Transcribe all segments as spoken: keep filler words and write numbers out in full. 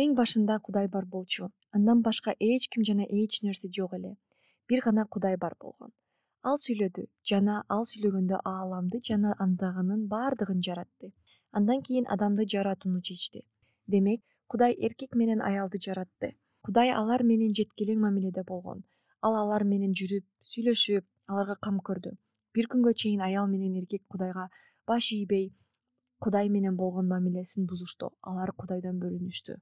Эң башында Кудай бар болчу. Андан башка эч ким жана эч нерсе жок эле. Бир гана Кудай бар болгон. Ал сүйлөдү жана ал сүйлөгөндө ааламды жана андагынын баардыгын жаратты. Андан кийин адамды жаратууну чечти. Демек, Кудай эркек менен аялды жаратты. Кудай алар менен жеткилең мамиледе болгон. Ал алар менен жүрүп, сүйлөшүп, аларга кам көрдү. Бир күнгө чейин аял менен эркек Кудайга баш ийбей, Кудай менен болгон мамилесин бузушту. Алар Кудайдан бөлүнүштү.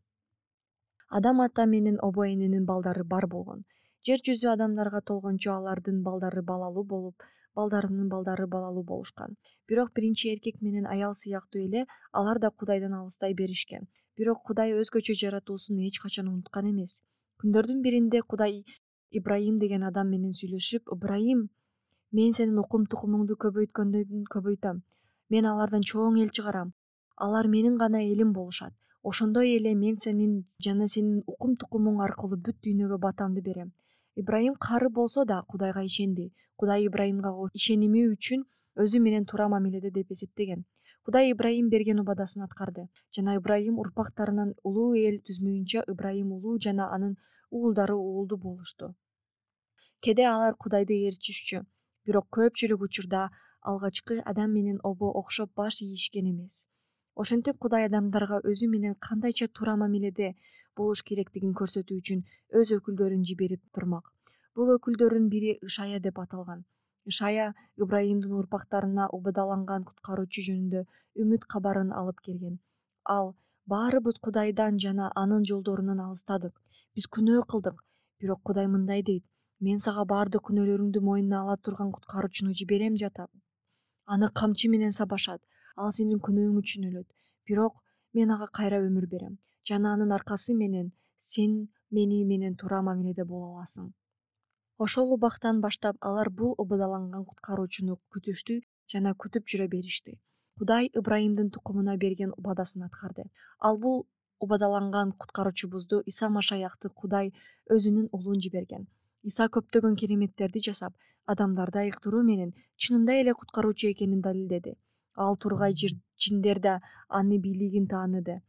Адам ата менен обо эненин балдары бар болгон. Жер жүзү адамдарга толгончо алардын балдары балалуу болуп, балдарынын балдары балалуу болушкан. Бирок биринчи эркек менен аял сыяктуу эле алар да Кудайдан алыстай беришкен. Бирок Кудай өзгөчө жаратуусун эч качан унуткан эмес. Күндөрдүн биринде Кудай Ибрайым деген адам менен сүйлөшүп, «Ибрайым, мен сенин укум тукумуңду көбөйткөндөн көбөйтөм. Мен алардан чоң эл чыгарам. Алар менин гана элим болушат. Ошондой эле мен сенин жана сенин укум тукумуң аркылуу бүт дүйнөгө батамды берем». Ибрайым кары болсо да Кудайга ишенди. Кудай Ибрайымга ишеними үчүн өзү менен туура мамиледе деп эсептеген. Кудай Ибрайым берген убадасын аткарды. Жана Ибрайым урпактарынан улуу эл түзмөйүнчө Ибрайым улуу жана анын уулдары уулдуу болушту. Кээде алар Кудайды ээрчишчү, бирок көпчүлүк учурда алгачкы Адам менен обо окшоп баш ийишкен эмес. Ошентип Кудай адамдарга өзү менен кандайча туура мамиледе болуш керектигин көрсөтүү үчүн өз өкүлдөрүн жиберип турмак. Бул өкүлдөрдүн бири Ишая деп аталган. Ишая Ибрайымдын урпактарына убадаланган куткаруучу жөнүндө үмүт кабарын алып келген. Ал: «Баарыбыз Кудайдан жана анын жолдорунан алыстадык. Биз күнөө кылдык. Бирок Кудай мындай дейт: мен сага баардык күнөөлөрүңдү мойнуна ала турган куткаруучуну жиберем жатам. Аны камчы менен сабашат. Ал сенин күнөөң үчүн өлөт. Бирок мен ага кайра өмүр берем. Жана анын аркасы менен сен мени менен туура мамиледе боло аласың». Ошол убактан баштап алар бул убадаланган куткаруучуну күтүштү жана күтүп жүрө беришти. Кудай Ибрайымдын тукумуна берген убадасын аткарды. Ал бул убадаланган куткаруучубузду Иса Машаякты Кудай өзүнүн уулун жиберген. Иса көптөгөн кереметтерди жасап, адамдарды айыктыруу менен чынында эле куткаруучу экенин далилдеди. Ал тургай жиндер да аны бийлигин тааныды.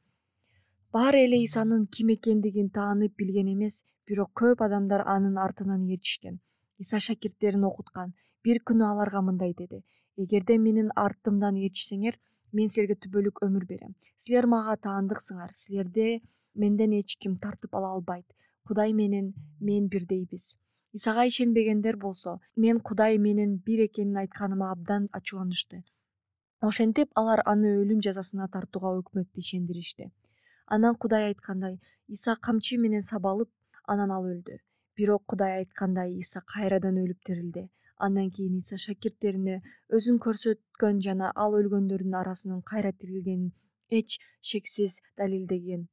Баары эле Исанын ким экендигин таанып билген эмес, бирок көп адамдар анын артынан ээрчишкен. Иса шакирттерин окуткан. Бир күнү аларга мындай деди: «Эгерде менин артымдан ээрчисеңер, мен силерге түбөлүк өмүр берем. Силер мага таандыксыңар. Силерди менден эч ким тартып ала албайт. Кудай менен мен бирдейбиз». Исага ишенбегендер болсо, мен Кудай менен бир экенин айтканыма абдан ачууланышты. Ошентип алар аны өлүм жазасына тартууга өкмөттү ишендиришти. Анан Кудай айткандай, Иса камчы менен сабалып, анан ал өлдү. Бирок Кудай айткандай Иса кайрадан өлүп тирилди. Андан кийин Иса шакирттерине өзүн көрсөткөн жана ал өлгөндөрдүн арасынан кайра тирилгенин эч шексиз далилдеген.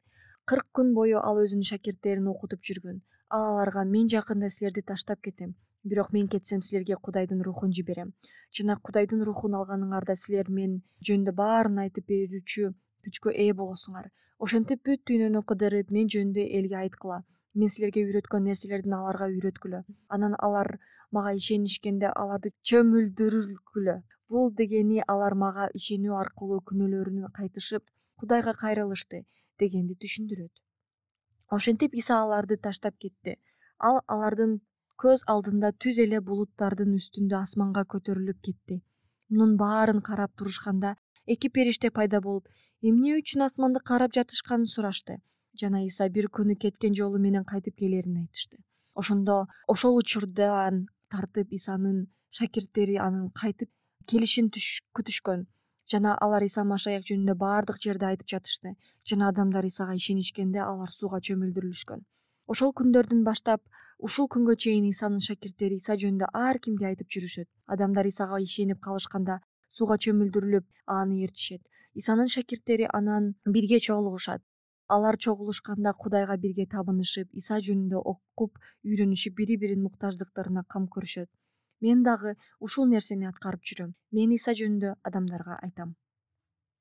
Кырк күн бою ал өзүнүн шакирттерин окутуп жүргөн. Ал аларга: «Мен жакында силерди таштап кетем. Бирок мен кетсем, силерге Кудайдын рухун жиберем. Жана Кудайдын рухун алганыңарда силер мен жөнүндө баарын айтып берүүчү күчкө ээ болосуңар. Ошентип бүт дүйнөнү кыдырып мен жөнүндө элге айткыла. Мен силерге үйрөткөн нерселердин аларга үйрөткүлө. Анан алар мага ишенишкенде аларды чөмүлдүргүлө. Бул дегени алар мага ишенүү аркылуу күнөөлөрүнөн кайтышып, Кудайга кайрылышты» дегенди түшүндүрөт. Ошентип Иса аларды таштап кетти. Ал алардын көз алдында түз эле булуттардын үстүндө асманга көтөрүлүп кетти. Мунун баарын карап турушканда эки периште пайда болуп, эмне үчүн асманды карап жатышканын сурашты. Жана Иса бир күнү кеткен жолу менен кайтып келерин айтышты. Ошондо ошол учурдан тартып Исанын шакирттери анын кайтып келишин күтүшкөн. Жана алар Иса Машаяк жөнүндө баардык жерде айтып жатышты. Жана адамдар Исага ишенишкенде алар сууга чөмүлдүрүлүшкөн. Ошол күндөрдөн баштап ушул күнгө чейин Исанын шакирттери Иса жөнүндө ар кимге айтып жүрүшөт. Адамдар Исага ишенип калышканда сууга чөмүлдүрүлүп, аны ээрчишет. Исанын шакирттери анан бирге чогулушат. Алар чогулушканда Кудайга бирге табынышып, Иса жөнүндө окуп, үйрөнүшүп, бири-биринин муктаждыктарына кам көрүшөт. Мен дагы ушул нерсени аткарып жүрөм. Мен Иса жөнүндө адамдарга айтам.